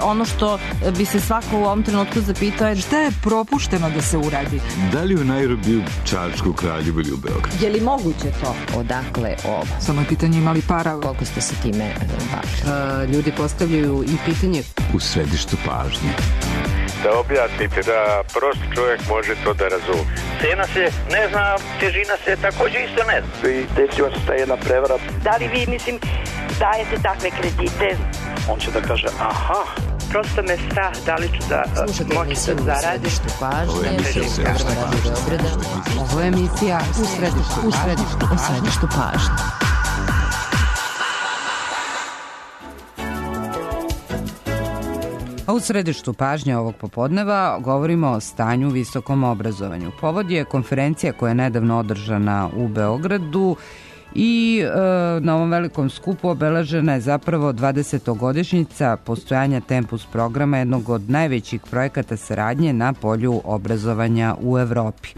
ono što bi se svako u ovom trenutku zapitao je šta je propušteno da se uradi. Da li u Nairobiju, Čačku, Kraljevu ili u Beogradu? Je li moguće to? Odakle ovo? Samo je pitanje imali para. Koliko ste se time bavili? Ljudi postavljaju i pitanje. U središtu pažnje. Da objasnite, da prost čovjek može to da razume. Cena se ne zna, težina se također isto ne zna. I desila se ta jedna prevara. Da li vi, dajete takve kredite? On će da kaže, aha. Prosto me strah da li ću da moći da zaradim. Ovo je emisija u središtu pažnje. A u središtu pažnje ovog popodneva govorimo o stanju u visokom obrazovanju. Povod je konferencija koja je nedavno održana u Beogradu i na ovom velikom skupu obeležena je zapravo 20-godišnjica postojanja Tempus programa, jednog od najvećih projekata saradnje na polju obrazovanja u Evropi.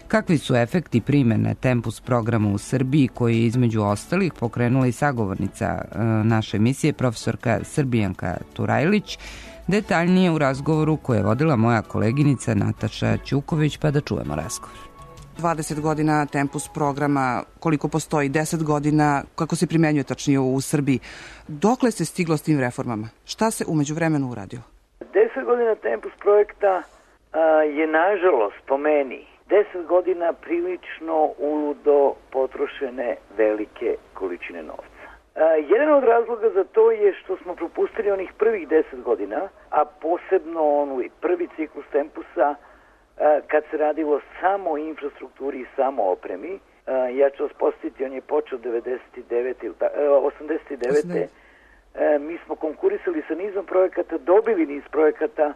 Kakvi su efekti primene Tempus programa u Srbiji, koji je između ostalih pokrenula i sagovornica naše emisije, profesorka Srbijanka Turajlić, detaljnije u razgovoru koje je vodila moja koleginica Nataša Ćuković, pa da čujemo razgovor. 20 godina Tempus programa, koliko postoji, 10 godina, kako se primenjuje tačnije u Srbiji. Dokle se stiglo s tim reformama? Šta se umeđu vremenu uradilo? 10 godina Tempus projekta je, nažalost, po meni, 10 godina prilično uludo potrošene velike količine novca. Jedan od razloga za to je što smo propustili onih prvih 10 godina, a posebno prvi ciklus Tempusa, kad se radilo samo o infrastrukturi i samo o opremi. Ja ću vas posjetiti, on je počeo 89. Mi smo konkurisali sa nizom projekata, dobili niz projekata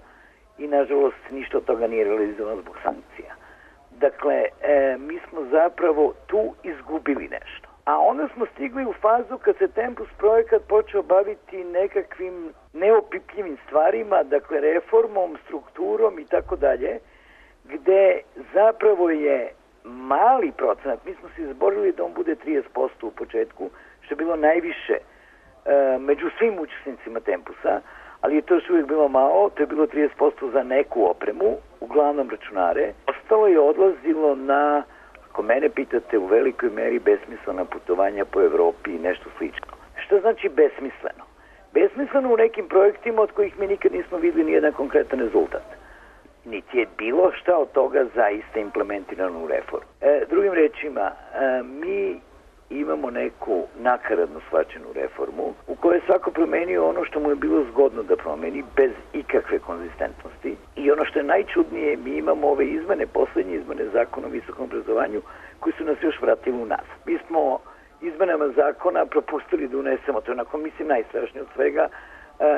i nažalost ništa od toga nije realizovano zbog sankcija. Dakle, mi smo zapravo tu izgubili nešto. A onda smo stigli u fazu kad se Tempus projekat počeo baviti nekakvim neopipljivim stvarima, dakle reformom, strukturom i tako dalje, gde zapravo je mali procenat, mi smo se izborili da on bude 30% u početku, što je bilo najviše među svim učesnicima Tempusa, ali je to još uvijek bilo malo, to je bilo 30% za neku opremu, uglavnom računare. Ostalo je odlazilo na, ako mene pitate, u velikoj meri besmislena putovanja po Evropi i nešto slično. Što znači besmisleno? Besmisleno u nekim projektima od kojih mi nikad nismo vidjeli nijedan konkretan rezultat. Niti je bilo šta od toga zaista implementirano u reformu. Drugim rečima, mi imamo neku nakaradno shvaćenu reformu u kojoj je svako promenio ono što mu je bilo zgodno da promeni bez ikakve konzistentnosti. I ono što je najčudnije, mi imamo ove izmene, poslednje izmene zakona o visokom obrazovanju koji su nas još vratili u nas. Mi smo izmenama zakona propustili da unesemo, to je onako mislim najstrašnije od svega,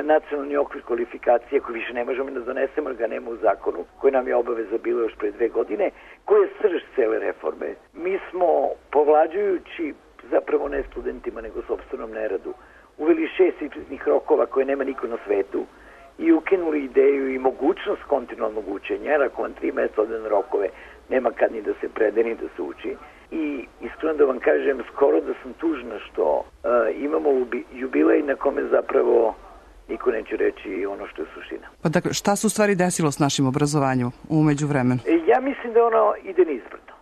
nacionalni okvir kvalifikacije koji više ne možemo da donesemo, jer ga nema u zakonu, koji nam je obaveza bilo još pre 2 godine, koji je srž cele reforme. Mi smo, povlađujući zapravo ne studentima, nego sopstvenom neradu, uveli 6 ispitnih rokova koje nema niko na svetu i ukinuli ideju i mogućnost kontinualnog učenja, jer ako vam 3 mesta odane rokove, nema kad ni da se prede ni da se uči. I iskreno da vam kažem, skoro da sam tužna što imamo jubilej na kome zapravo niko neće reći ono što je suština. Pa dakle, šta se u stvari desilo s našim obrazovanjem u međuvremenu? Ja mislim da ono ide nizbrdo.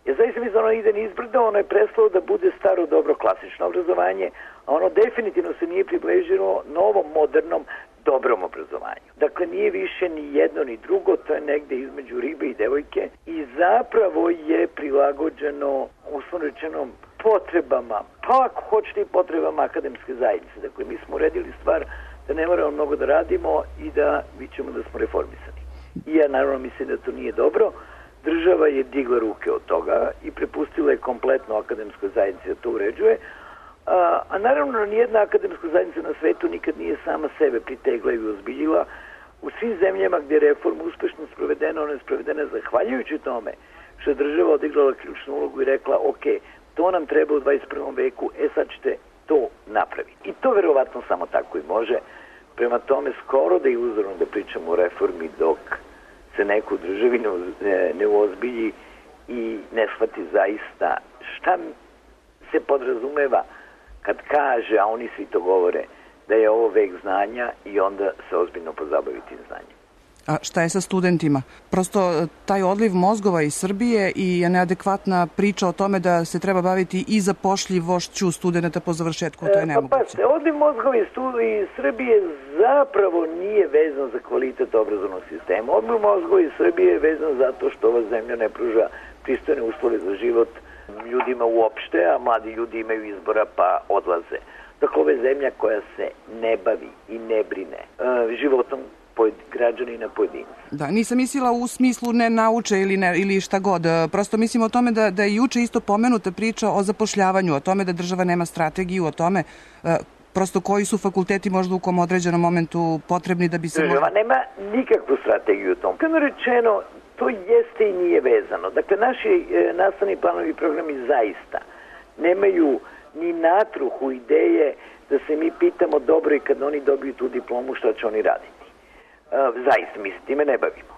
Ja zaista mislim da ono ide nizbrdo, ono je prestalo da bude staro, dobro, klasično obrazovanje, a ono definitivno se nije približilo novom, modernom, dobrom obrazovanju. Dakle, nije više ni jedno ni drugo, to je negde između ribe i devojke i zapravo je prilagođeno, uslovno rečeno, potrebama, pa ako hoćete i potrebama akademske zajednice. Dakle, mi smo uredili stvar da ne moramo mnogo da radimo i da vidimo da smo reformisani. I ja naravno mislim da to nije dobro. Država je digla ruke od toga i prepustila je kompletno akademskoj zajednici da to uređuje. A naravno nijedna akademska zajednica na svetu nikad nije sama sebe pritegla i ozbiljila. U svim zemljama gdje je reforma uspešno sprovedena, ona je sprovedena zahvaljujući tome što je država odigrala ključnu ulogu i rekla ok, to nam treba u 21. veku, sad ćete to napraviti. I to verovatno samo tako i može. Prema tome skoro da je iluzorno da pričamo o reformi dok se neko u državi ne uozbilji i ne shvati zaista šta se podrazumeva kad kaže, a oni svi to govore, da je ovo vek znanja i onda se ozbiljno pozabaviti znanjem. A šta je sa studentima? Prosto taj odliv mozgova iz Srbije i neadekvatna priča o tome da se treba baviti i zapošljivošću studenta po završetku, to je nemoguće. Odliv mozgova iz Srbije zapravo nije vezan za kvalitet obrazovnog sistema. Odliv mozgova iz Srbije je vezan zato što ova zemlja ne pruža pristojne uslove za život ljudima uopšte, a mladi ljudi imaju izbora pa odlaze. Dakle, ovo je zemlja koja se ne bavi i ne brine životom građanina pojedinca. Da, nisam mislila u smislu ne nauče ili šta god. Prosto mislim o tome da je juče isto pomenuta priča o zapošljavanju, o tome da država nema strategiju, o tome prosto koji su fakulteti možda u kom određenom momentu potrebni da bi se... Država nema nikakvu strategiju u tom. Kako rečeno, to jeste i nije vezano. Dakle, naši nastavni planovi i programi zaista nemaju ni natruhu ideje da se mi pitamo dobro i kad oni dobiju tu diplomu šta će oni raditi. Zaista, mi se time ne bavimo.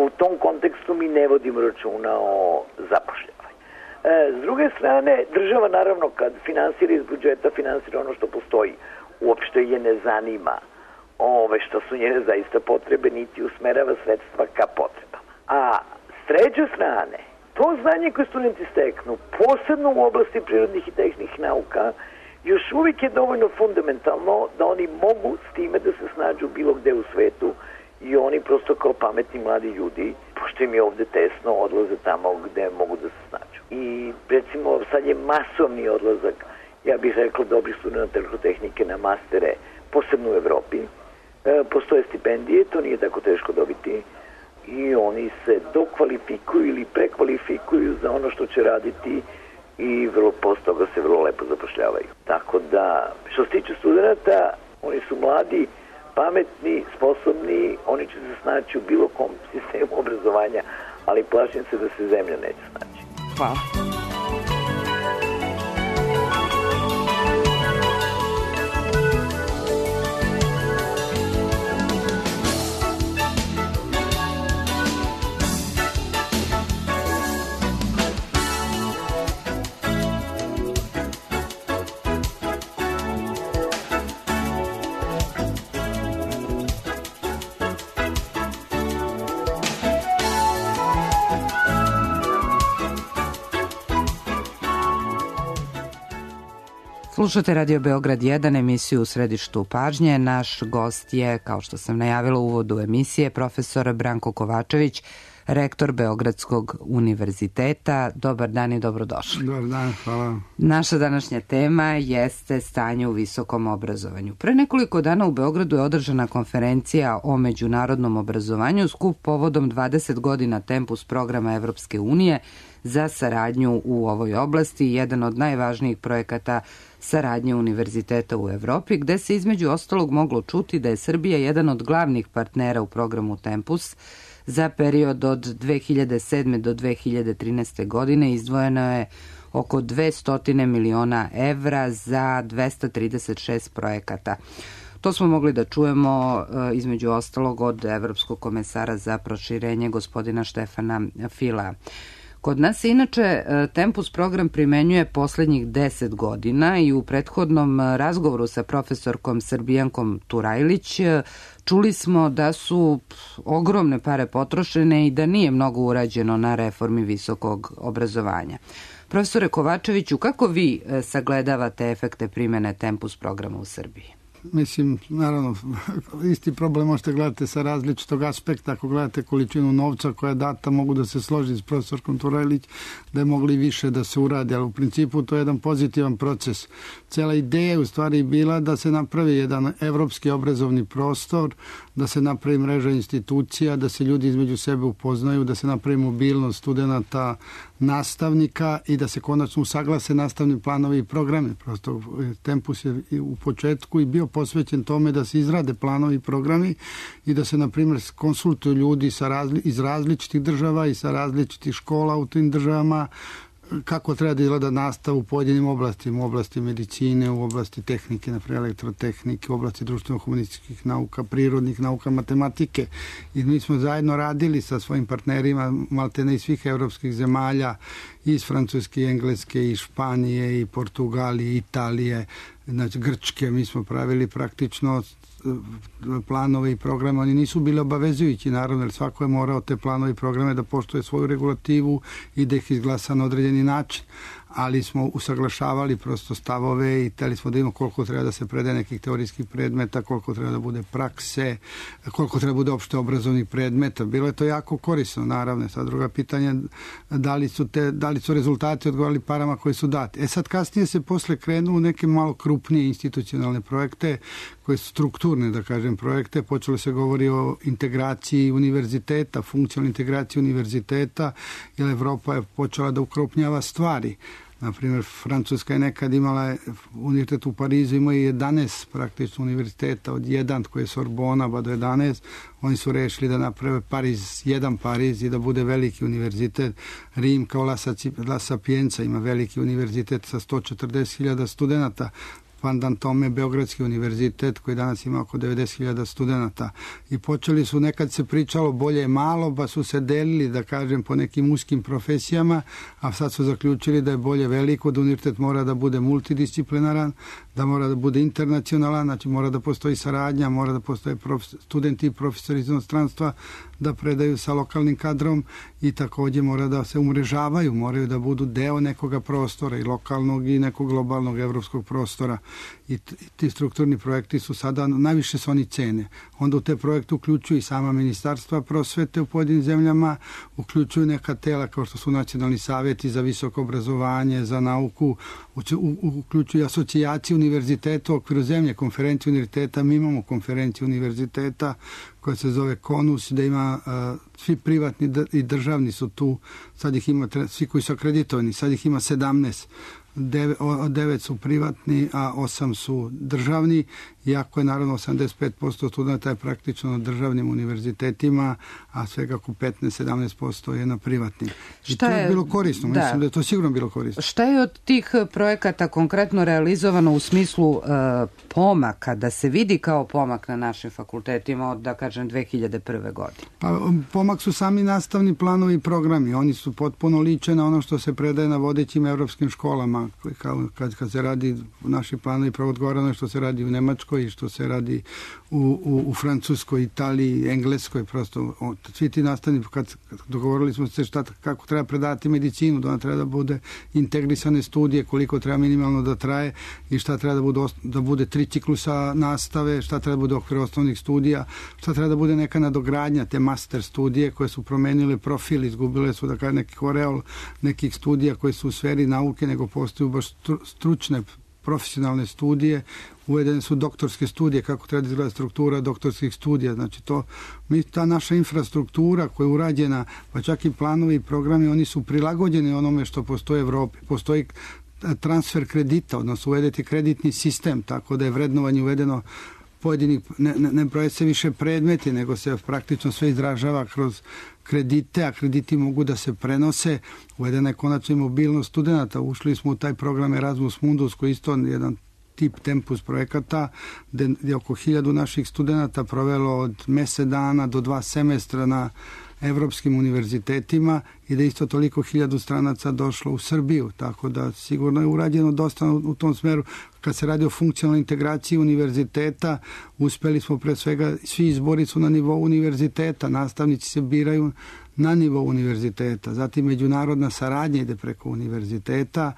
U tom kontekstu mi ne vodimo računa o zapošljavanju. S druge strane, država naravno kad finansira iz budžeta, finansira ono što postoji. Uopšte je ne zanima što su njene zaista potrebe, niti usmerava sredstva ka potrebama. A s treće strane, to znanje koje studenti steknu, posebno u oblasti prirodnih i tehničkih nauka, još uvijek je dovoljno fundamentalno da oni mogu s time da se snađu bilo gde u svetu i oni prosto kao pametni mladi ljudi, pošto im je ovde tesno, odlaze tamo gde mogu da se snađu. I recimo sad je masovni odlazak, ja bih rekla, dobrih studenta elektrotehnike na mastere, posebno u Evropi. Postoje stipendije, to nije tako teško dobiti i oni se dokvalifikuju ili prekvalifikuju za ono što će raditi i posle toga se vrlo lepo zapošljavaju. Tako da, što se tiče studenta, oni su mladi, pametni, sposobni, oni će se snaći u bilo kom sistemu obrazovanja, ali plašim se da se zemlja neće snaći. Hvala. Slušate Radio Beograd 1, emisiju U središtu pažnje. Naš gost je, kao što sam najavila u uvodu emisije, profesor Branko Kovačević, rektor Beogradskog univerziteta. Dobar dan i dobrodošli. Dobar dan, hvala. Naša današnja tema jeste stanje u visokom obrazovanju. Pre nekoliko dana u Beogradu je održana konferencija o međunarodnom obrazovanju, skup povodom 20 godina Tempus programa Evropske unije za saradnju u ovoj oblasti, jedan od najvažnijih projekata saradnje univerziteta u Evropi, gde se između ostalog moglo čuti da je Srbija jedan od glavnih partnera u programu Tempus. Za period od 2007. do 2013. godine izdvojeno je oko 200 miliona evra za 236 projekata. To smo mogli da čujemo između ostalog od Evropskog komesara za proširenje gospodina Štefana Fila. Kod nas se inače Tempus program primenjuje poslednjih 10 godina i u prethodnom razgovoru sa profesorkom Srbijankom Turajlić čuli smo da su ogromne pare potrošene i da nije mnogo urađeno na reformi visokog obrazovanja. Profesore Kovačeviću, kako vi sagledavate efekte primene Tempus programa u Srbiji? Mislim, naravno, isti problem možete gledati sa različitog aspekta. Ako gledate količinu novca koja je data, mogu da se složi s profesorkom Turajlić da je mogli više da se uradi, ali u principu to je jedan pozitivan proces. Cela ideja je u stvari bila da se napravi jedan evropski obrazovni prostor, da se napravi mreža institucija, da se ljudi između sebe upoznaju, da se napravi mobilnost studenta, nastavnika i da se konačno usaglase nastavni planovi i programe. Prosto Tempus je u početku i bio posvećen tome da se izrade planovi i programi i da se, na primjer, konsultuju ljudi iz različitih država i sa različitih škola u tim državama, kako treba da izgleda nastava u pojedinim oblastima, u oblasti medicine, u oblasti tehnike, naprimjer elektrotehnike, u oblasti društveno-humanističkih nauka, prirodnih nauka, matematike. I mi smo zajedno radili sa svojim partnerima maltene iz svih evropskih zemalja iz Francuske, i Engleske, i Španije, i Portugalije, Italije, znači Grčke. Mi smo pravili praktično planove i programe, oni nisu bili obavezujući, naravno, jer svako je morao te planove i programe da poštuje svoju regulativu i da ih izglasa na određeni način, ali smo usaglašavali prosto stavove i hteli smo da imamo koliko treba da se predaje nekih teorijskih predmeta, koliko treba da bude prakse, koliko treba da bude opšte obrazovnih predmeta. Bilo je to jako korisno, naravno. Sad druga pitanja, da li su rezultati odgovarali parama koji su dati. Sad kasnije se posle krenuo u neke malo krupnije institucionalne projekte, koje su strukturne, da kažem, projekte. Počelo se govori o integraciji univerziteta, funkcionalnoj integraciji univerziteta, jer Evropa je počela da ukrupnjava stvari. Naprimjer, Francuska je nekad imala univerzitet u Parizu, imao je 11 praktično univerziteta, od 1 koji je Sorbona pa do 11. Oni su rešili da naprave jedan Pariz i da bude veliki univerzitet. Rim kao La Sapienza ima veliki univerzitet sa 140.000 studenta. Pandan tome Beogradski univerzitet koji danas ima oko 90.000 studenta. I počeli su, nekad se pričalo bolje je malo, pa su se delili, da kažem, po nekim uskim profesijama, a sad su zaključili da je bolje veliko, da univerzitet mora da bude multidisciplinaran, da mora da bude internacionalan, znači mora da postoji saradnja, mora da postoje studenti i profesori iz inostranstva da predaju sa lokalnim kadrom i također mora da se umrežavaju, moraju da budu deo nekoga prostora i lokalnog i nekog globalnog evropskog prostora. I ti strukturni projekti su sada, najviše se oni cene. Onda u te projekte uključuju i sama ministarstva prosvete u pojedinim zemljama, uključuju neka tela kao što su nacionalni savjeti za visoko obrazovanje, za nauku, uključuju asocijacije univerziteta u okviru zemlje, konferencije univerziteta. Mi imamo konferenciju univerziteta koja se zove KONUS, da ima svi privatni i državni su tu, sad ih ima, svi koji su akreditovani, sad ih ima 17. 9 su privatni, a 8 su državni, iako je naravno 85% studenta je praktično na državnim univerzitetima, a svega oko 15-17% je na privatnim. I to je bilo korisno, mislim da je to sigurno bilo korisno. Šta je od tih projekata konkretno realizovano u smislu pomaka, da se vidi kao pomak na našim fakultetima od, da kažem, 2001. godine? Pa, pomak su sami nastavni planovi i programi. Oni su potpuno liče na ono što se predaje na vodećim evropskim školama. Kad se radi naši planovi odgovarano što se radi u Nemačkoj i što se radi u Francuskoj, Italiji, Engleskoj, prosto svi ti nastavni, kad dogovorili smo se kako treba predati medicinu, da ona treba da bude integrisane studije, koliko treba minimalno da traje i šta treba da bude 3 ciklusa nastave, šta treba da bude okvir osnovnih studija, šta treba da bude neka nadogradnja, te master studije koje su promenile profil, izgubile su da kažem neki koreol nekih studija koje su u sferi nauke, nego postoju baš stručne profesionalne studije, uvedene su doktorske studije, kako treba da izgleda struktura doktorskih studija, znači ta naša infrastruktura koja je urađena, pa čak i planovi i programi, oni su prilagođeni onome što postoji u Evropi. Postoji transfer kredita, odnosno uvedeti kreditni sistem, tako da je vrednovanje uvedeno pojedinih, ne broje se više predmeti, nego se praktično sve izražava kroz kredite, a krediti mogu da se prenose. Uvedena je konačno i mobilnost studenta. Ušli smo u taj program Erasmus Mundus, koji isto jedan tip tempus projekata, gde je oko 1000 naših studenta provelo od mesec dana do 2 semestra na evropskim univerzitetima i da isto toliko 1000 stranaca došlo u Srbiju, tako da sigurno je urađeno dosta u tom smeru. Kad se radi o funkcionalnoj integraciji univerziteta, uspeli smo pre svega, svi izbori su na nivou univerziteta, nastavnici se biraju na nivou univerziteta, zatim međunarodna saradnja ide preko univerziteta,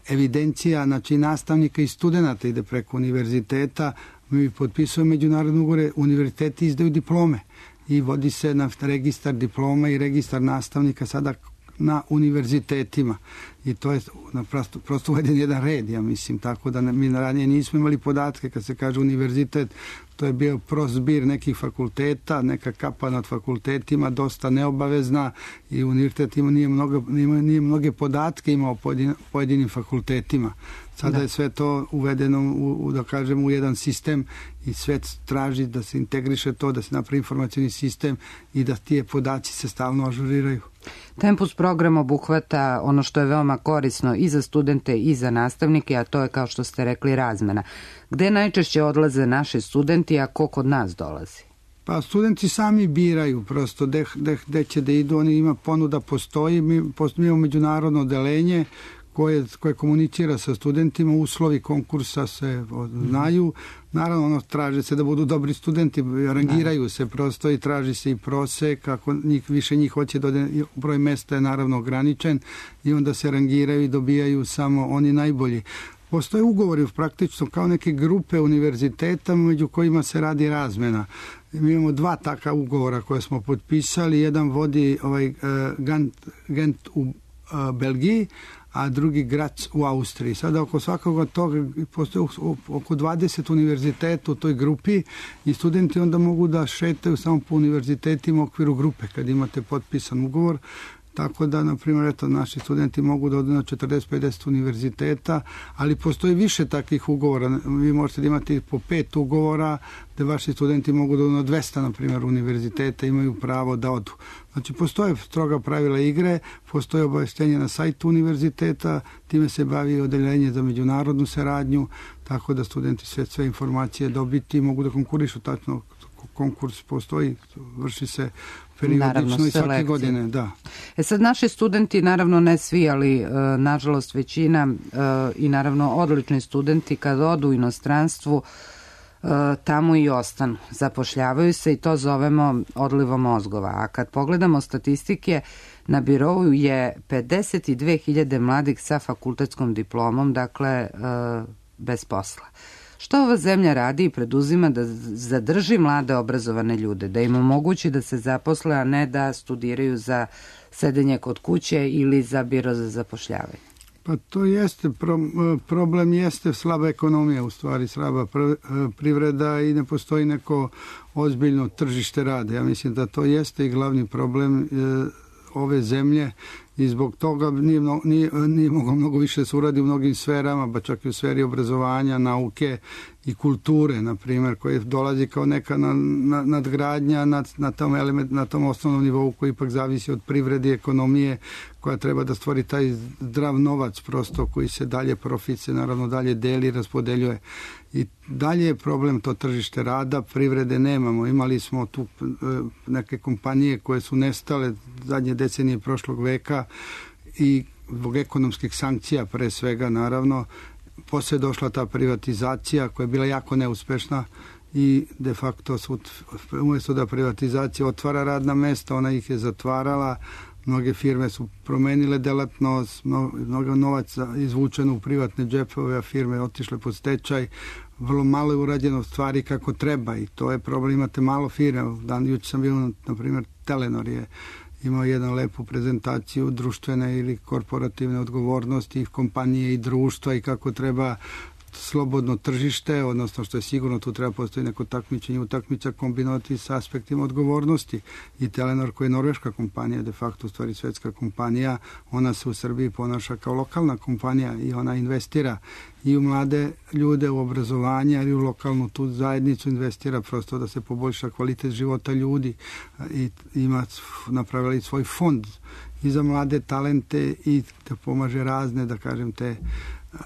evidencija, znači nastavnika i studenta ide preko univerziteta, mi potpisujemo međunarodne ugovore, univerziteti izdaju diplome i vodi se na registar diploma i registar nastavnika sada na univerzitetima i to je prosto uveden jedan red, ja mislim, tako da mi ranije nismo imali podatke kad se kaže univerzitet, to je bio prost zbir nekih fakulteta, neka kapa nad fakultetima, dosta neobavezna i univerzitet nije mnoge podatke imao pojedinim fakultetima. Sada je sve to uvedeno da kažem u jedan sistem i sve traži da se integriše to, da se napravi informacijni sistem i da tije podaci se stalno ažuriraju. Tempus program obuhvata ono što je veoma korisno i za studente i za nastavnike, a to je, kao što ste rekli, razmena. Gde najčešće odlaze naši studenti, a ko kod nas dolazi? Pa studenti sami biraju prosto gde će da idu, oni ima ponuda postoji, mi imamo međunarodno odelenje koje komunicira sa studentima, uslovi konkursa se znaju, naravno traže se da budu dobri studenti, rangiraju se prosto i traži se i prosek, ako više njih hoće da broj mesta je naravno ograničen i onda se rangiraju i dobijaju samo oni najbolji. Postoje ugovori praktično kao neke grupe univerziteta među kojima se radi razmena. Mi imamo 2 takva ugovora koje smo potpisali. Jedan vodi Gent u Belgiji, a drugi Graz u Austriji. Sada oko svakog toga postoje oko 20 univerziteta u toj grupi i studenti onda mogu da šetaju samo po univerzitetima u okviru grupe kad imate potpisan ugovor. Tako da, na primjer, naši studenti mogu da odu na 40-50 univerziteta, ali postoji više takvih ugovora. Vi možete da imate po 5 ugovora gde vaši studenti mogu da odu na 200, na primjer, univerziteta, imaju pravo da odu. Znači, postoje stroga pravila igre, postoje obaveštenje na sajtu univerziteta, time se bavi odeljenje za međunarodnu saradnju, tako da studenti sve informacije dobiti mogu da konkurišu tačno. Konkurs postoji, vrši se periodično i svake godine. Da. Sad naši studenti, naravno ne svi, ali nažalost većina i naravno odlični studenti kad odu u inostranstvu tamo i ostanu. Zapošljavaju se i to zovemo odlivom mozgova. A kad pogledamo statistike, na birou je 52.000 mladih sa fakultetskom diplomom, dakle bez posla. Što ova zemlja radi i preduzima da zadrži mlade obrazovane ljude, da im omogući da se zaposle, a ne da studiraju za sedenje kod kuće ili za biro za zapošljavanje? Pa to jeste, problem jeste slaba ekonomija, u stvari slaba privreda i ne postoji neko ozbiljno tržište rada. Ja mislim da to jeste i glavni problem ove zemlje i zbog toga nije moglo mnogo više se uradi u mnogim sferama, pa čak i u sferi obrazovanja, nauke i kulture, na primjer, koji dolazi kao neka nadgradnja na tom osnovnom nivou koji ipak zavisi od privrede i ekonomije, koja treba da stvori taj zdrav novac prosto koji se dalje profit se naravno dalje deli i raspodeljuje. I dalje je problem to tržište rada, privrede nemamo. Imali smo tu neke kompanije koje su nestale zadnje decenije prošlog veka i zbog ekonomskih sankcija pre svega naravno. Posle je došla ta privatizacija koja je bila jako neuspešna i de facto umjesto da privatizacija otvara radna mesta, ona ih je zatvarala. Mnoge firme su promenile delatnost, mnogo novaca izvučeno u privatne džepove, a firme otišle pod stečaj. Vrlo malo je urađeno stvari kako treba i to je problem. Imate malo firme. Juče sam bio, na primjer, Telenor je imao jednu lepu prezentaciju društvene ili korporativne odgovornosti kompanije i društva i kako treba slobodno tržište, odnosno što je sigurno tu treba postoji neko takmičenje, utakmica kombinovati sa aspektima odgovornosti. I Telenor, koja je norveška kompanija, de facto u stvari svetska kompanija, ona se u Srbiji ponaša kao lokalna kompanija i ona investira i u mlade ljude, u obrazovanje, ali u lokalnu tu zajednicu investira prosto da se poboljša kvalitet života ljudi i napravili svoj fond i za mlade talente i da pomaže razne, da kažem, te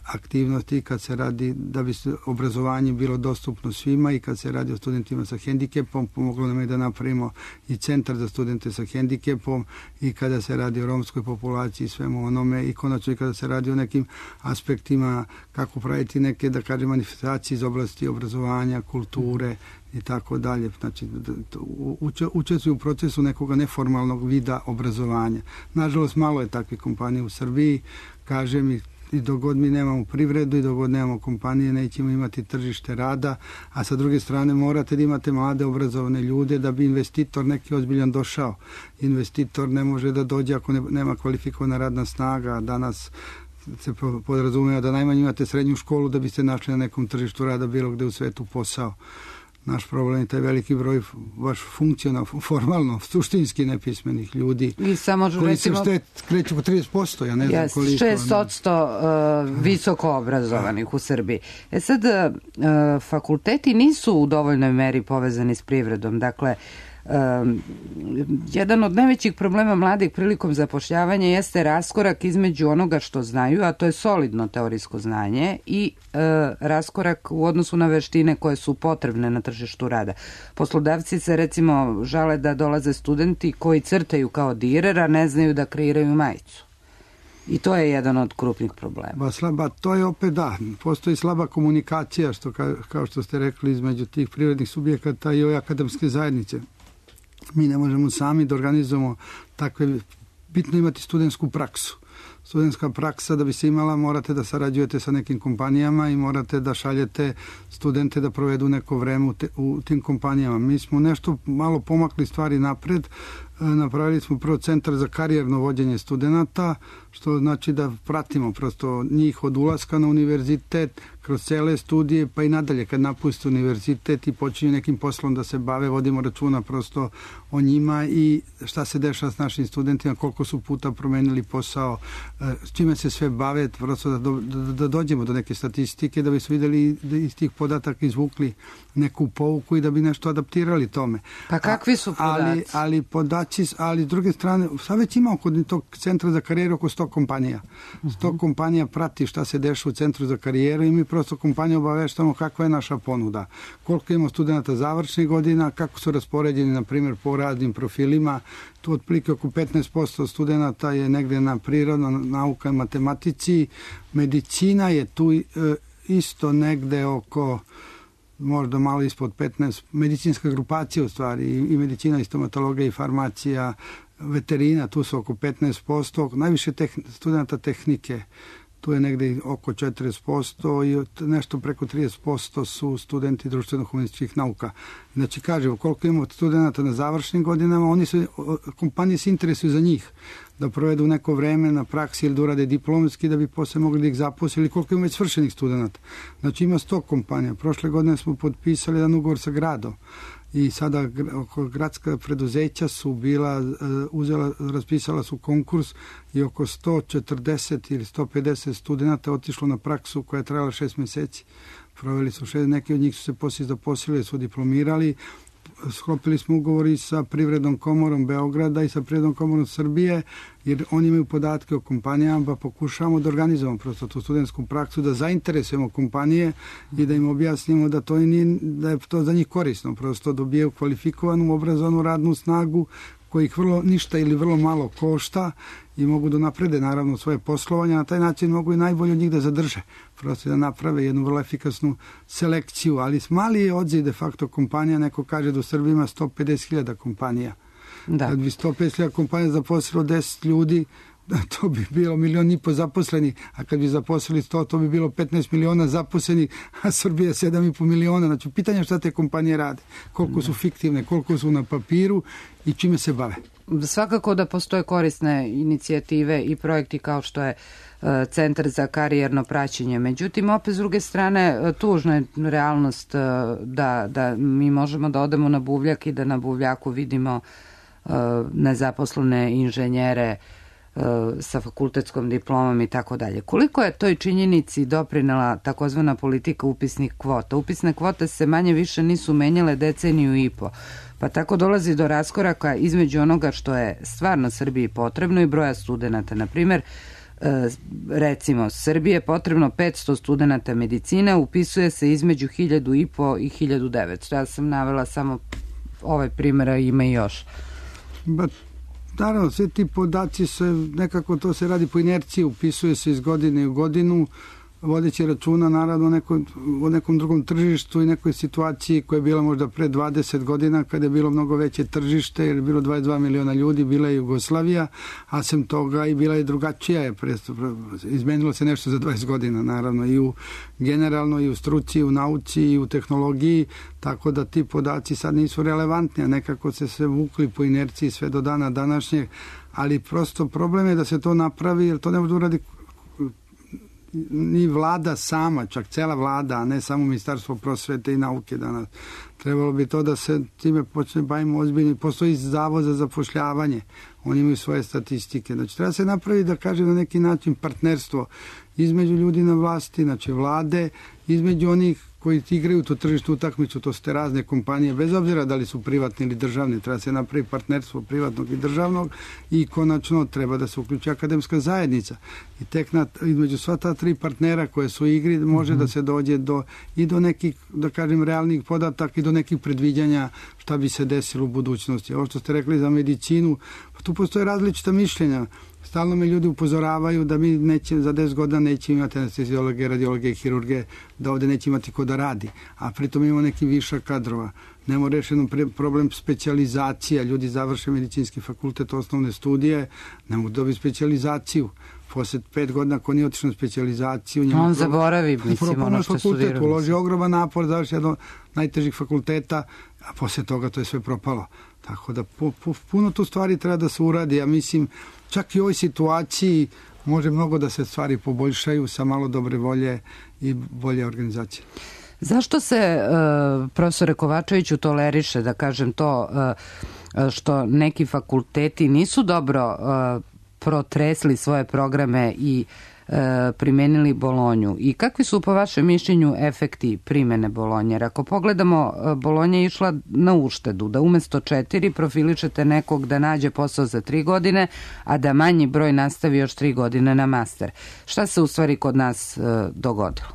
aktivnosti kad se radi da bi obrazovanje bilo dostupno svima i kad se radi o studentima sa hendikepom, pomoglo nam je da napravimo i centar za studente sa hendikepom i kada se radi o romskoj populaciji i svemu onome i konačno i kada se radi o nekim aspektima kako praviti neke, da kažem, manifestacije iz oblasti obrazovanja, kulture i tako dalje. Znači, učestvuju u procesu nekog neformalnog vida obrazovanja. Nažalost, malo je takvih kompanija u Srbiji, kažem, i dok god mi nemamo privredu i dok god nemamo kompanije, nećemo imati tržište rada, a sa druge strane morate da imate mlade obrazovane ljude da bi investitor neki ozbiljan došao. Investitor ne može da dođe ako nema kvalifikovana radna snaga. Danas se podrazumeva da najmanje imate srednju školu da biste našli na nekom tržištu rada bilo gde u svetu posao. Naš problem je taj veliki broj baš funkcionalno, formalno, suštinski nepismenih ljudi i samo, koji se kreću po 30%, ja ne znam koliko. 6% visoko obrazovanih u Srbiji. Sad, fakulteti nisu u dovoljnoj meri povezani s privredom. Dakle, Jedan od najvećih problema mladih prilikom zapošljavanja jeste raskorak između onoga što znaju, a to je solidno teorijsko znanje, i raskorak u odnosu na veštine koje su potrebne na tržištu rada. Poslodavci se recimo žale da dolaze studenti koji crtaju kao direr, a ne znaju da kreiraju majicu. I to je jedan od krupnih problema. To je opet postoji slaba komunikacija, kao što ste rekli, između tih privrednih subjekata i ove akademske zajednice. Mi ne možemo sami da organizujemo takve, bitno imati studentsku praksu. Studentska praksa, da bi se imala, morate da sarađujete sa nekim kompanijama i morate da šaljete studente da provedu neko vreme u tim kompanijama. Mi smo nešto malo pomakli stvari napred. Napravili smo prvo centar za karijerno vođenje studenata, što znači da pratimo prosto njih od ulaska na univerzitet, kroz cele studije, pa i nadalje kad napuste univerzitet i počinju nekim poslom da se bave, vodimo računa prosto o njima i šta se dešava s našim studentima, koliko su puta promenili posao, s čime se sve bave, prosto da dođemo do neke statistike, da bi su videli da iz tih podataka izvukli neku pouku i da bi nešto adaptirali tome. Pa kakvi su podaci? Ali s druge strane, sad već ima kod tog centra za karijeru oko 100 kompanija. 100 kompanija prati šta se dešava u centru za karijeru i mi prosto kompaniju obaveštamo kakva je naša ponuda. Koliko imamo studenta završnih godina, kako su raspoređeni, na primjer, po raznim profilima. Tu otprilike oko 15% studenta je negde na prirodno, nauka i matematici. Medicina je tu isto negde oko možda malo ispod 15, medicinska grupacija u stvari, i medicina, i stomatologija, i farmacija, veterina, tu su oko 15%, najviše studenta tehnike, tu je negde oko 40% i nešto preko 30% su studenti društveno-humanističkih nauka. Znači, kažemo, koliko imamo studenta na završnim godinama, kompanije se interesuju za njih, da provedu neko vreme na praksi ili da urade diplomski da bi posle mogli da ih zaposli, ili koliko ima već svršenih studenta. Znači, ima 100 kompanija. Prošle godine smo potpisali jedan ugovor sa gradom i sada gradska preduzeća su raspisala su konkurs i oko 140 ili 150 studenta otišlo na praksu koja je trajala 6 meseci. Proveli su neki od njih su se poslije zaposlili, su diplomirali. Sklopili smo ugovori sa Privrednom komorom Beograda i sa Privrednom komorom Srbije, jer oni imaju podatke o kompanijama, pa pokušavamo da organizujemo prosto tu studentsku praksu, da zainteresujemo kompanije i da im objasnimo da da je to za njih korisno, prosto dobijaju kvalifikovanu, obrazovanu radnu snagu kojih ništa ili vrlo malo košta i mogu da naprede naravno svoje poslovanje, na taj način mogu i najbolje od njih da zadrže, prosto da naprave jednu vrlo efikasnu selekciju, ali mali je odziv de facto kompanija, neko kaže da u Srbiji ima 150.000 kompanija. Da. Kad bi 150.000 kompanija zaposlilo 10 ljudi, to bi bilo 1,5 miliona zaposleni, a kad bi zaposlili 100, to bi bilo 15 miliona zaposlenih, a Srbija 7,5 miliona. Znači, pitanje šta te kompanije rade, koliko su fiktivne, koliko su na papiru i čime se bave. Svakako da postoje korisne inicijative i projekti kao što je Centar za karijerno praćenje. Međutim, opet s druge strane, tužna je realnost da mi možemo da odemo na buvljak i da na buvljaku vidimo nezaposlene inženjere sa fakultetskom diplomom i tako dalje. Koliko je toj činjenici doprinela takozvana politika upisnih kvota? Upisne kvote se manje više nisu menjale deceniju i po, pa tako dolazi do raskoraka između onoga što je stvarno Srbiji potrebno i broja studenta. Na primjer, recimo, Srbije je potrebno 500 studenta medicine, upisuje se između 1.500 i 1.900. Ja sam navela samo ovaj primjer, a ima i još. Naravno, sve ti podaci nekako to se radi po inerciji, upisuje se iz godine u godinu, vodeći računa naravno o nekom drugom tržištu i nekoj situaciji koja je bila možda pre 20 godina kada je bilo mnogo veće tržište, jer je bilo 22 miliona ljudi, bila je Jugoslavija, a sem toga i bila je drugačija, izmenilo se nešto za 20 godina naravno i generalno i u struci, i u nauci, i u tehnologiji, tako da ti podaci sad nisu relevantni, a nekako se vukli po inerciji sve do dana današnjeg, ali prosto problem je da se to napravi, jer to ne može uradi ni vlada sama, čak cela vlada, a ne samo Ministarstvo prosvete i nauke danas. Trebalo bi to da se time počne bavimo ozbiljno. Postoji Zavod za zapošljavanje, oni imaju svoje statistike. Znači, treba se napraviti, da kažem, na neki način partnerstvo između ljudi na vlasti, znači vlade između onih koji igraju tu tržištu utakmicu, to su te razne kompanije, bez obzira da li su privatni ili državni, treba se napravi partnerstvo privatnog i državnog i konačno treba da se uključi akademska zajednica. I tek između sva ta tri partnera koje su u igri može da se dođe i do nekih, da kažem, realnih podataka i do nekih predviđanja šta bi se desilo u budućnosti. Ovo što ste rekli za medicinu, tu postoje različita mišljenja. Stalno me ljudi upozoravaju da mi za 10 godina neće imati anesteziologe, radiologe i hirurge, da ovde neće imati ko da radi. A pritom imamo neki višak kadrova. Nemo rešeno problem specijalizacija. Ljudi završe medicinski fakultet, osnovne studije, ne mogu dobiti specijalizaciju. Posle 5 godina ako nije otišao na specijalizaciju... On zaboravi, mislim, ono što studiramo. Uloži ogroman napor, završi jedan od najtežih fakulteta, a posle toga to je sve propalo. Tako da puno tu stvari treba da se uradi. Ja mislim, čak i u ovoj situaciji može mnogo da se stvari poboljšaju sa malo dobre volje i bolje organizacije. Zašto se, profesore Kovačeviću, toleriše, da kažem to, što neki fakulteti nisu dobro protresli svoje programe i primenili Bolonju? I kakvi su po vašem mišljenju efekti primene Bolonje? Jer ako pogledamo, Bolonja je išla na uštedu, da umesto 4 profiličete nekog da nađe posao za 3 godine, a da manji broj nastavi još 3 godine na master. Šta se u stvari kod nas dogodilo?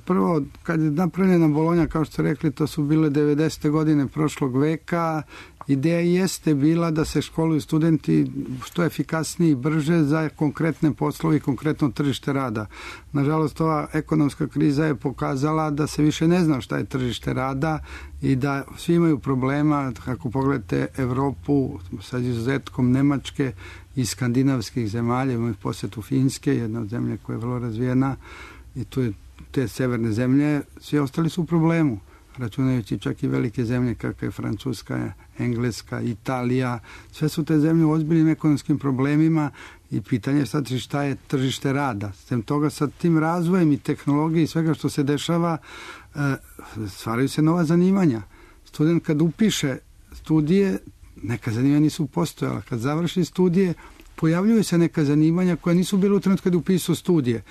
Prvo, kad je napravljena Bolonja, kao što ste rekli, to su bile 90. godine prošlog veka. Ideja jeste bila da se školuju studenti što efikasnije i brže za konkretne poslove i konkretno tržište rada. Nažalost, ova ekonomska kriza je pokazala da se više ne zna šta je tržište rada i da svi imaju problema. Kako pogledate Evropu sa izuzetkom Nemačke i skandinavskih zemalja, imamo posjetu Finske, jedna od zemlje koja je vrlo razvijena, i tu je te severne zemlje, svi ostali su u problemu, računajući čak i velike zemlje kakve je Francuska, Engleska, Italija. Sve su te zemlje u ozbiljnim ekonomskim problemima i pitanje je sad šta je tržište rada. Sem toga, sa tim razvojem i tehnologije i svega što se dešava, stvaraju se nova zanimanja. Student kad upiše studije, neka zanimanja nisu postojala. Kad završi studije, pojavljuju se neka zanimanja koja nisu bila u trenutku kad je upisao studije.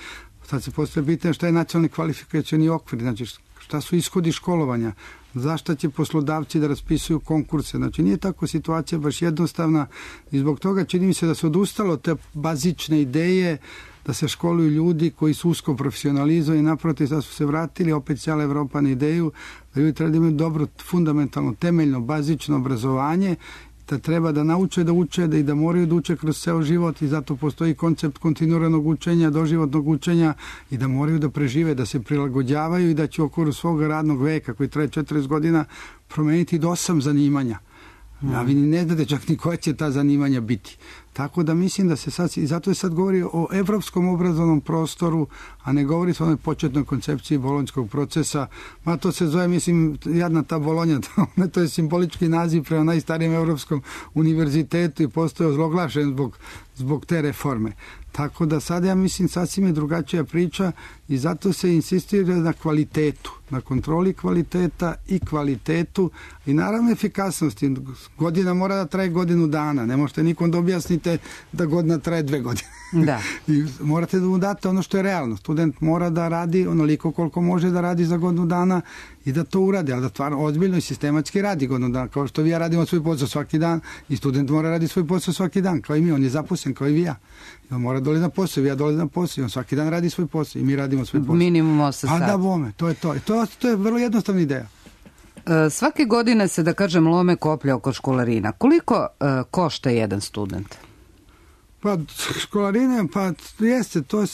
Sad se postoje pitanje šta je nacionalni kvalifikacioni okvir, znači šta su ishodi školovanja, zašto će poslodavci da raspisuju konkurse. Znači nije tako situacija baš jednostavna i zbog toga čini mi se da se odustalo te bazične ideje da se školuju ljudi koji su usko profesionalizovani i naprotiv da su se vratili opet cijela Evropa na ideju da ljudi treba da imaju dobro, fundamentalno, temeljno, bazično obrazovanje, da treba da nauče da uče i da moraju da uče kroz ceo život i zato postoji koncept kontinuiranog učenja, doživotnog učenja i da moraju da prežive, da se prilagođavaju i da će u okviru svog radnog veka koji traje 40 godina promeniti do 8 zanimanja. A vi ne znate čak ni koja će ta zanimanja biti. Tako da mislim da se sad, i zato je sad govori o evropskom obrazovnom prostoru, a ne govori se o onoj početnoj koncepciji bolonjskog procesa. Ma to se zove, mislim, jadna ta Bolonja, to je simbolički naziv prema najstarijem evropskom univerzitetu i postoje ozloglašen zbog te reforme. Tako da sad ja mislim sasvim je drugačija priča i zato se insistira na kvalitetu, na kontroli kvaliteta i kvalitetu i naravno efikasnosti. Godina mora da traje godinu dana, ne možete nikom da objasnite da godina traje 2 godine. Da. I morate da mu date ono što je realno. Student mora da radi onoliko koliko može da radi za godinu dana i da to uradi, ali da stvarno ozbiljno i sistematski radi godinu dana. Kao što vi ja radimo svoj posao svaki dan i student mora radi svoj posao svaki dan, kao i mi. On je zaposlen kao i vi ja. I on mora dolazi na posao, ja dolazim na posao i on svaki dan radi svoj posao i mi radimo svoj posao. Minimum 8 sati. A da bome, to je to. To je vrlo jednostavna ideja. Svake godine se, da kažem, lome koplja oko školarina. Koliko košta jedan student? Pa školarine, pa jeste, to je,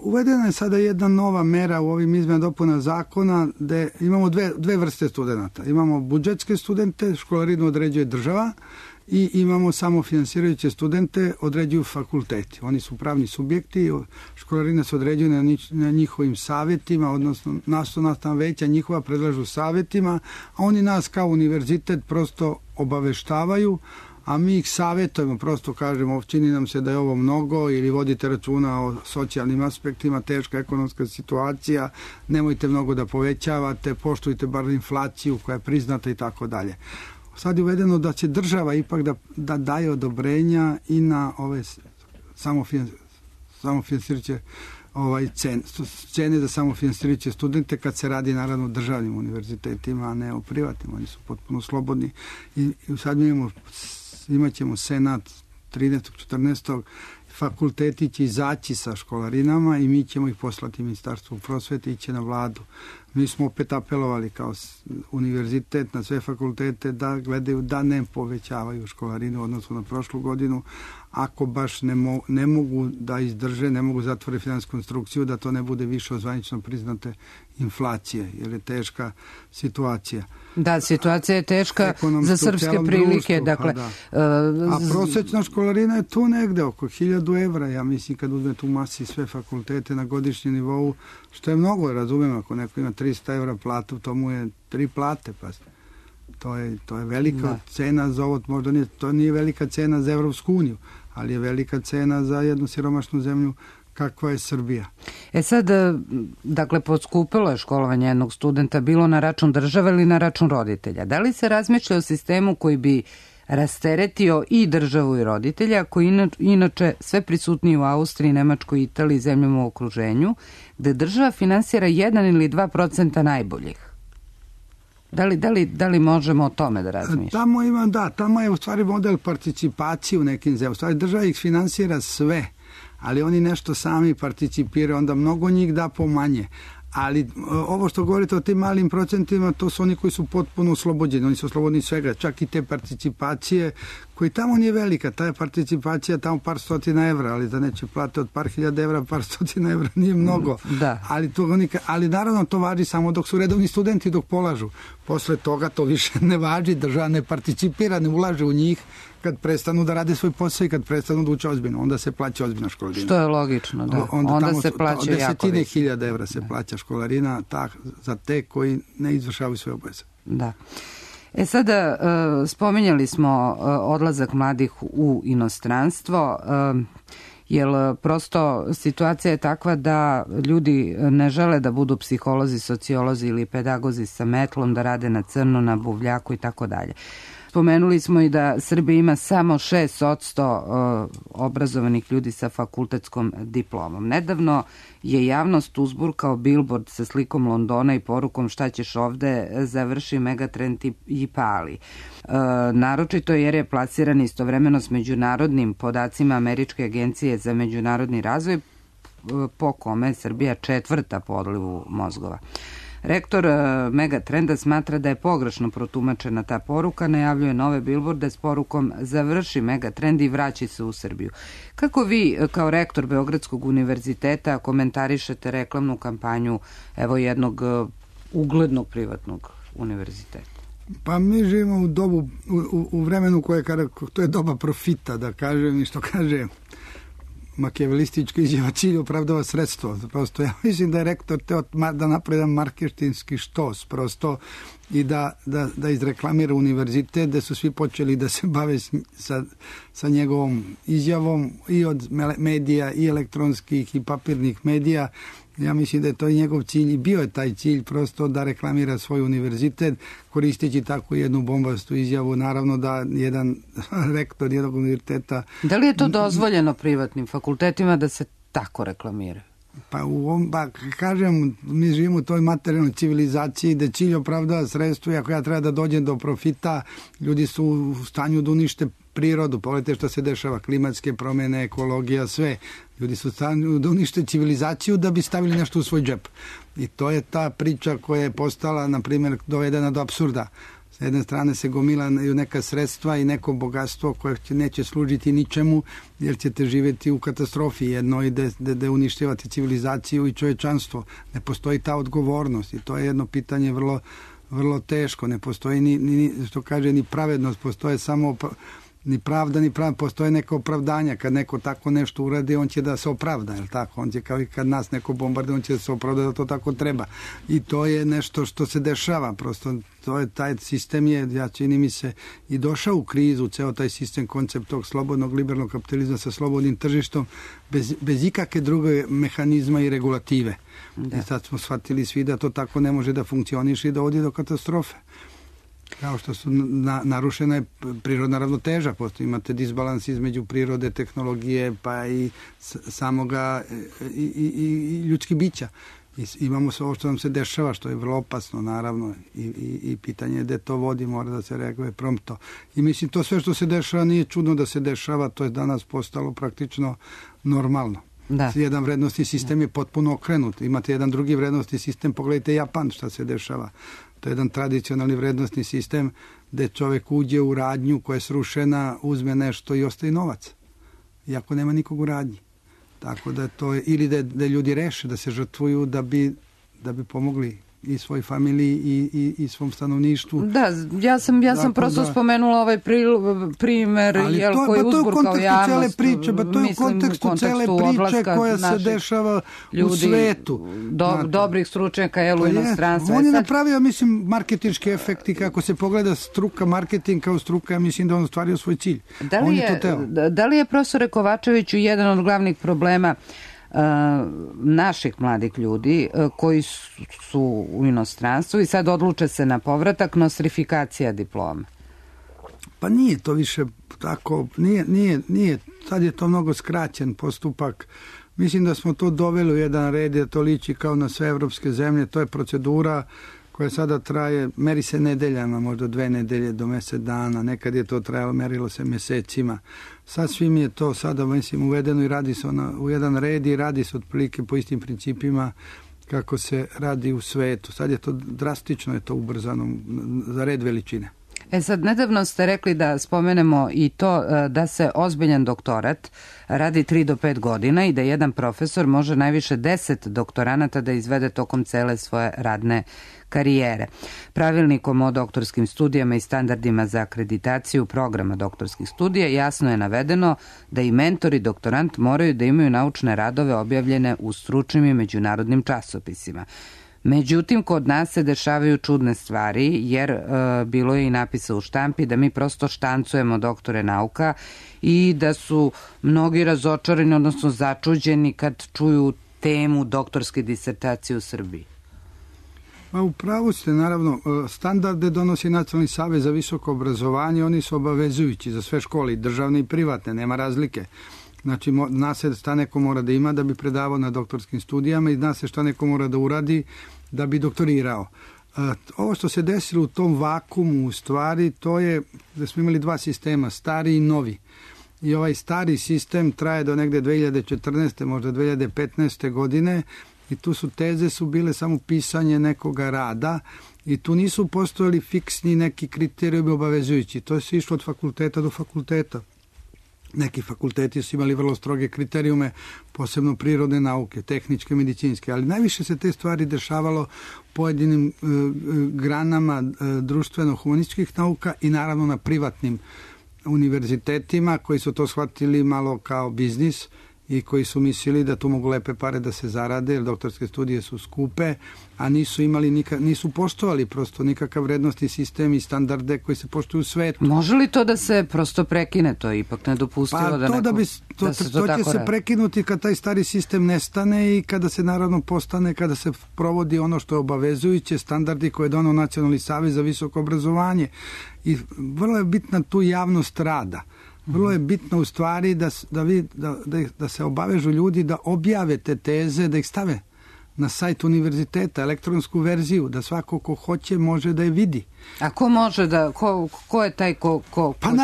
uvedena je sada jedna nova mera u ovim izmenama dopuna zakona gde imamo dve vrste studenta. Imamo budžetske studente, školarinu određuje država i imamo samofinansirajuće studente, određuju fakulteti. Oni su pravni subjekti, školarine se određuju na njihovim savjetima, odnosno nastavna veća njihova predlažu savjetima, a oni nas kao univerzitet prosto obaveštavaju, a mi ih savjetujemo, prosto kažemo, čini nam se da je ovo mnogo ili vodite računa o socijalnim aspektima, teška ekonomska situacija, nemojte mnogo da povećavate, poštujte bar inflaciju koja je priznata i tako dalje. Sad je uvedeno da će država ipak da daje odobrenja i na ove samofinansirajuće cene za samofinansirajuće studente kad se radi naravno o državnim univerzitetima, a ne o privatnim. Oni su potpuno slobodni. I sad imat ćemo senat 13. 14. Fakulteti će izaći sa školarinama i mi ćemo ih poslati Ministarstvu prosvete i iće na vladu. Mi smo opet apelovali kao univerzitet na sve fakultete da gledaju da ne povećavaju školarinu u odnosu na prošlu godinu. Ako baš ne mogu da izdrže, ne mogu zatvore finansijsku konstrukciju, da to ne bude više od zvanično priznate inflacije, jer je teška situacija. Da, situacija je teška za srpske prilike. Dakle, a prosječna školarina je tu negde oko 1000 evra, ja mislim, kad uzmete u masi sve fakultete na godišnjem nivou, što je mnogo, razumijem, ako neko ima 300 evra platu, to mu je 3 plate, pa to je velika cena za ovo, možda to nije velika cena za Evropsku uniju, ali je velika cena za jednu siromašnu zemlju kakva je Srbija. Sad, dakle, poskupilo je školovanje jednog studenta, bilo na račun države ili na račun roditelja. Da li se razmišlja o sistemu koji bi rasteretio i državu i roditelja, koji inače sve prisutniji u Austriji, Nemačkoj, Italiji i zemljama u okruženju, gde država finansira 1 ili 2% najboljih? Da li možemo o tome da razmišljamo? Tamo je u stvari model participacije u nekim zemljama. U stvari država ih finansira sve, ali oni nešto sami participiraju, onda mnogo njih da pomanje. Ali ovo što govorite o tim malim procentima, to su oni koji su potpuno oslobođeni. Oni su oslobodni svega, čak i te participacije koji tamo nije velika. Ta je participacija tamo par stotina evra, ali da neće plate od par hiljada evra, par stotina evra nije mnogo. Da. Ali naravno to važi samo dok su redovni studenti, dok polažu. Posle toga to više ne važi, država ne participira, ne ulaže u njih. Kad prestanu da rade svoj posao i kad prestanu da uče ozbiljno, onda se plaća ozbiljna školarina. Što je logično, da. Onda se plaća jako više. 10.000 evra se plaća školarina za te koji ne izvršavaju svoje obaveze. Da. Sada spominjali smo odlazak mladih u inostranstvo, jer prosto situacija je takva da ljudi ne žele da budu psiholozi, sociolozi ili pedagozi sa metlom, da rade na crno, na buvljaku i tako dalje. Spomenuli smo i da Srbija ima samo 6% obrazovanih ljudi sa fakultetskom diplomom. Nedavno je javnost uzburkao bilbord sa slikom Londona i porukom šta ćeš ovde, završi Megatrend i pali. Naročito jer je plasiran istovremeno s međunarodnim podacima Američke agencije za međunarodni razvoj, po kome je Srbija 4. po odlivu mozgova. Rektor Megatrenda smatra da je pogrešno protumačena ta poruka, najavljuje nove bilborde s porukom završi Megatrend i vraći se u Srbiju. Kako vi kao rektor Beogradskog univerziteta komentarišete reklamnu kampanju jednog uglednog privatnog univerziteta? Pa mi živimo u dobu, u vremenu koje to je doba profita, da kažem, i što kaže makijavelistička izjava, cilj opravdava sredstvo. Prosto ja mislim da je rektor teo da napravi jedan marketinški štos prosto i da izreklamira univerzitet, da su svi počeli da se bave sa njegovom izjavom i od medija i elektronskih i papirnih medija. Ja mislim da je to i njegov cilj i bio je taj cilj prosto da reklamira svoj univerzitet koristeći tako jednu bombastu izjavu. Naravno da jedan rektor jednog univerziteta... Da li je to dozvoljeno privatnim fakultetima da se tako reklamira? Pa kažem, mi živimo u toj materijalnoj civilizaciji da cilj opravdava sredstvo i ako ja treba da dođem do profita, ljudi su u stanju da unište prirodu. Pogledajte što se dešava, klimatske promjene, ekologija, sve. Ljudi su u stanju da unište civilizaciju da bi stavili nešto u svoj džep. I to je ta priča koja je postala, na primjer, dovedena do apsurda. S jedne strane se gomilaju neka sredstva i neko bogatstvo koje neće služiti ničemu, jer ćete živjeti u katastrofi jednoj gde uništavate civilizaciju i čovječanstvo. Ne postoji ta odgovornost i to je jedno pitanje vrlo teško. Ne postoji ni pravednost, postoje samo ni pravda, ni pravda, postoje neka opravdanja. Kad neko tako nešto uradi, on će da se opravda, je li tako? On će, kao i kad nas neko bombarduje, on će da se opravda da to tako treba. I to je nešto što se dešava, prosto taj sistem je, čini mi se, i došao u krizu, ceo taj sistem, koncept tog slobodnog liberalnog kapitalizma sa slobodnim tržištom, bez ikakve druge mehanizma i regulative. I sad smo shvatili svi da to tako ne može da funkcioniše i da odi do katastrofe. Kao što su narušena je prirodna ravnoteža, postoji imate disbalans između prirode, tehnologije, pa i samoga i ljudskih bića. Imamo sve ovo što nam se dešava, što je vrlo opasno, naravno, i pitanje je gde to vodi, mora da se reaguje promptno. I mislim, to sve što se dešava nije čudno da se dešava, to je danas postalo praktično normalno. Da. Jedan vrednostni sistem je potpuno okrenut. Imate jedan drugi vrednostni sistem, pogledajte Japan šta se dešava. To je jedan tradicionalni vrednostni sistem gde čovek uđe u radnju koja je srušena, uzme nešto i ostaje novac. Iako nema nikog u radnji. Tako da to je, ili da ljudi reše da se žrtvuju da bi pomogli i svoj familiji i svom stanovništvu. Da, ja sam prosto spomenula ovaj primer koji je uzburkao javnost. To je u kontekstu cele priče koja se dešava u svetu. Dobrih stručnjaka u inostranstvu. On je napravio, mislim, marketinški efekt i kako se pogleda struka, marketing kao struka, ja mislim da on ostvario svoj cilj. Da li je profesore Kovačeviću jedan od glavnih problema naših mladih ljudi koji su u inostranstvu i sad odluče se na povratak, nostrifikacija diplome? Pa nije to više tako, nije, sad je to mnogo skraćen postupak. Mislim da smo to doveli u jedan red, jer to liči kao na sve evropske zemlje, to je procedura koja sada traje, meri se nedeljama, možda 2 nedelje do mesec dana, nekad je to trajalo, merilo se mesecima. Sasvim je to sada, mislim, uvedeno i radi se u jedan red i radi se otprilike po istim principima kako se radi u svetu. Sad je to drastično, je to ubrzano za red veličine. Sad, nedavno ste rekli da spomenemo i to da se ozbiljan doktorat radi 3 do 5 godina i da jedan profesor može najviše 10 doktoranata da izvede tokom cele svoje radne karijere. Pravilnikom o doktorskim studijama i standardima za akreditaciju programa doktorskih studija jasno je navedeno da i mentor i doktorant moraju da imaju naučne radove objavljene u stručnim i međunarodnim časopisima. Međutim, kod nas se dešavaju čudne stvari, jer bilo je i napisa u štampi da mi prosto štancujemo doktore nauka i da su mnogi razočarani, odnosno začuđeni kad čuju temu doktorske disertacije u Srbiji. Pa u pravu ste, naravno, standarde donosi Nacionalni savez za visoko obrazovanje, oni su obavezujući za sve škole, i državne i privatne, nema razlike. Znači, zna se šta neko mora da ima da bi predavao na doktorskim studijama i zna se šta neko mora da uradi da bi doktorirao. Ovo što se desilo u tom vakumu, u stvari, to je da smo imali 2 sistema, stari i novi. I ovaj stari sistem traje do negde 2014. možda 2015. godine i tu su teze bile samo pisanje nekoga rada i tu nisu postojali fiksni neki kriterijumi obavezujući. To se išlo od fakulteta do fakulteta. Neki fakulteti su imali vrlo stroge kriterijume, posebno prirodne nauke, tehničke, medicinske, ali najviše se te stvari dešavalo pojedinim granama društveno-humanističkih nauka i naravno na privatnim univerzitetima koji su to shvatili malo kao biznis i koji su mislili da tu mogu lepe pare da se zarade, jer doktorske studije su skupe, a nisu poštovali prosto nikakav vrednostni sistem i standarde koji se poštuju u svetu. Može li to da se prosto prekine? To je ipak nedopustivo to će se prekinuti kad taj stari sistem nestane i kada se naravno kada se provodi ono što je obavezujuće, standardi koje je donao Nacionalni savez za visoko obrazovanje. I vrlo je bitna tu javnost rada. Vrlo je bitno u stvari da se obavežu ljudi da objave te teze, da ih stave na sajt univerziteta, elektronsku verziju, da svako ko hoće može da je vidi. A ko može da, ko je taj ko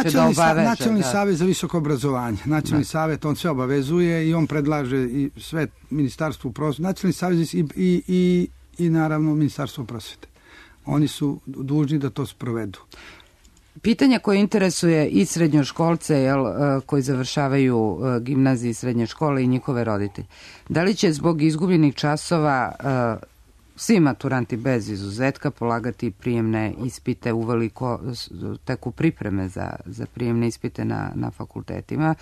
će da obaveže? Nacionalni savez za visoko obrazovanje. Nacionalni savet, on sve obavezuje i on predlaže i sve ministarstvu prosvete. Nacionalni savez i naravno ministarstvo prosvete. Oni su dužni da to sprovedu. Pitanje koje interesuje i srednjoškolce koji završavaju gimnazije i srednje škole i njihove roditelje. Da li će zbog izgubljenih časova svi maturanti bez izuzetka polagati prijemne ispite, uveliko teku pripreme za prijemne ispite na fakultetima?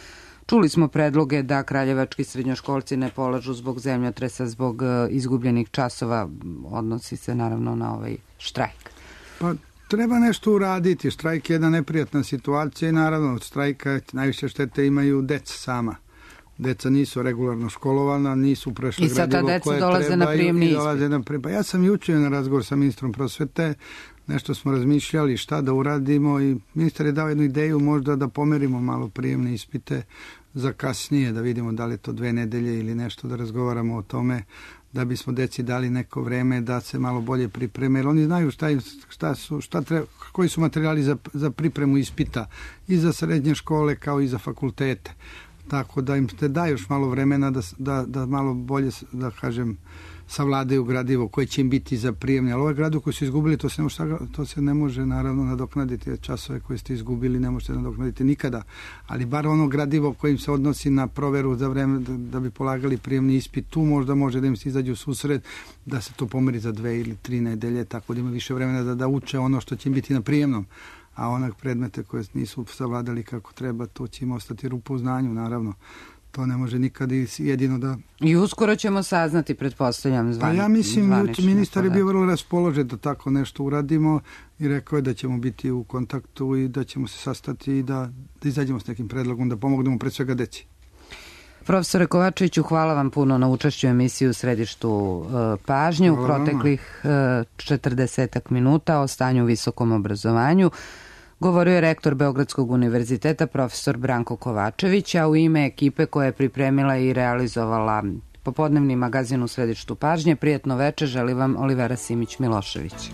Čuli smo predloge da kraljevački srednjoškolci ne polažu zbog zemljotresa, zbog izgubljenih časova, odnosi se naravno na ovaj štrajk. Pa treba nešto uraditi. Štrajk je jedna neprijatna situacija i naravno od štrajka najviše štete imaju deca sama. deca nisu regularno školovana, nisu prešla gradivo koje treba. I sad ta deca dolaze na prijemni ispit. Ja sam jučer na razgovor sa ministrom prosvete, nešto smo razmišljali šta da uradimo i ministar je dao jednu ideju možda da pomerimo malo prijemne ispite za kasnije, da vidimo da li je to 2 nedelje ili nešto, da razgovaramo o tome, da bismo deci dali neko vreme da se malo bolje pripreme, jer oni znaju koji su materijali za pripremu ispita i za srednje škole kao i za fakultete. Tako da im te da još malo vremena da malo bolje, da kažem, savladaju gradivo koje će im biti za prijemne. Ali ovaj gradivo koji su izgubili, to se ne može naravno nadoknaditi. Časove koje ste izgubili ne možete nadoknaditi nikada. Ali bar ono gradivo kojim se odnosi na proveru za vreme da bi polagali prijemni ispit, tu možda može da im se izađu u susret, da se to pomeri za 2 ili 3 nedelje, tako da ima više vremena da uče ono što će im biti na prijemnom. A onak predmete koje nisu savladali kako treba, to će im ostati rupa u znanju, naravno. To ne može nikad jedino da... I uskoro ćemo saznati, pretpostavljam, zvanično. Pa ja mislim, ministar je bio vrlo raspoložen da tako nešto uradimo i rekao je da ćemo biti u kontaktu i da ćemo se sastati i da izađemo s nekim predlogom, da pomognemo pred svega deci. Profesore Kovačeviću, hvala vam puno na učešću u emisiji u središtu pažnje u proteklih 40 minuta o stanju u visokom obrazovanju. Govorio je rektor Beogradskog univerziteta profesor Branko Kovačević, a u ime ekipe koja je pripremila i realizovala popodnevni magazin u središtu pažnje, prijatno veče, želi vam Olivera Simić-Milošević.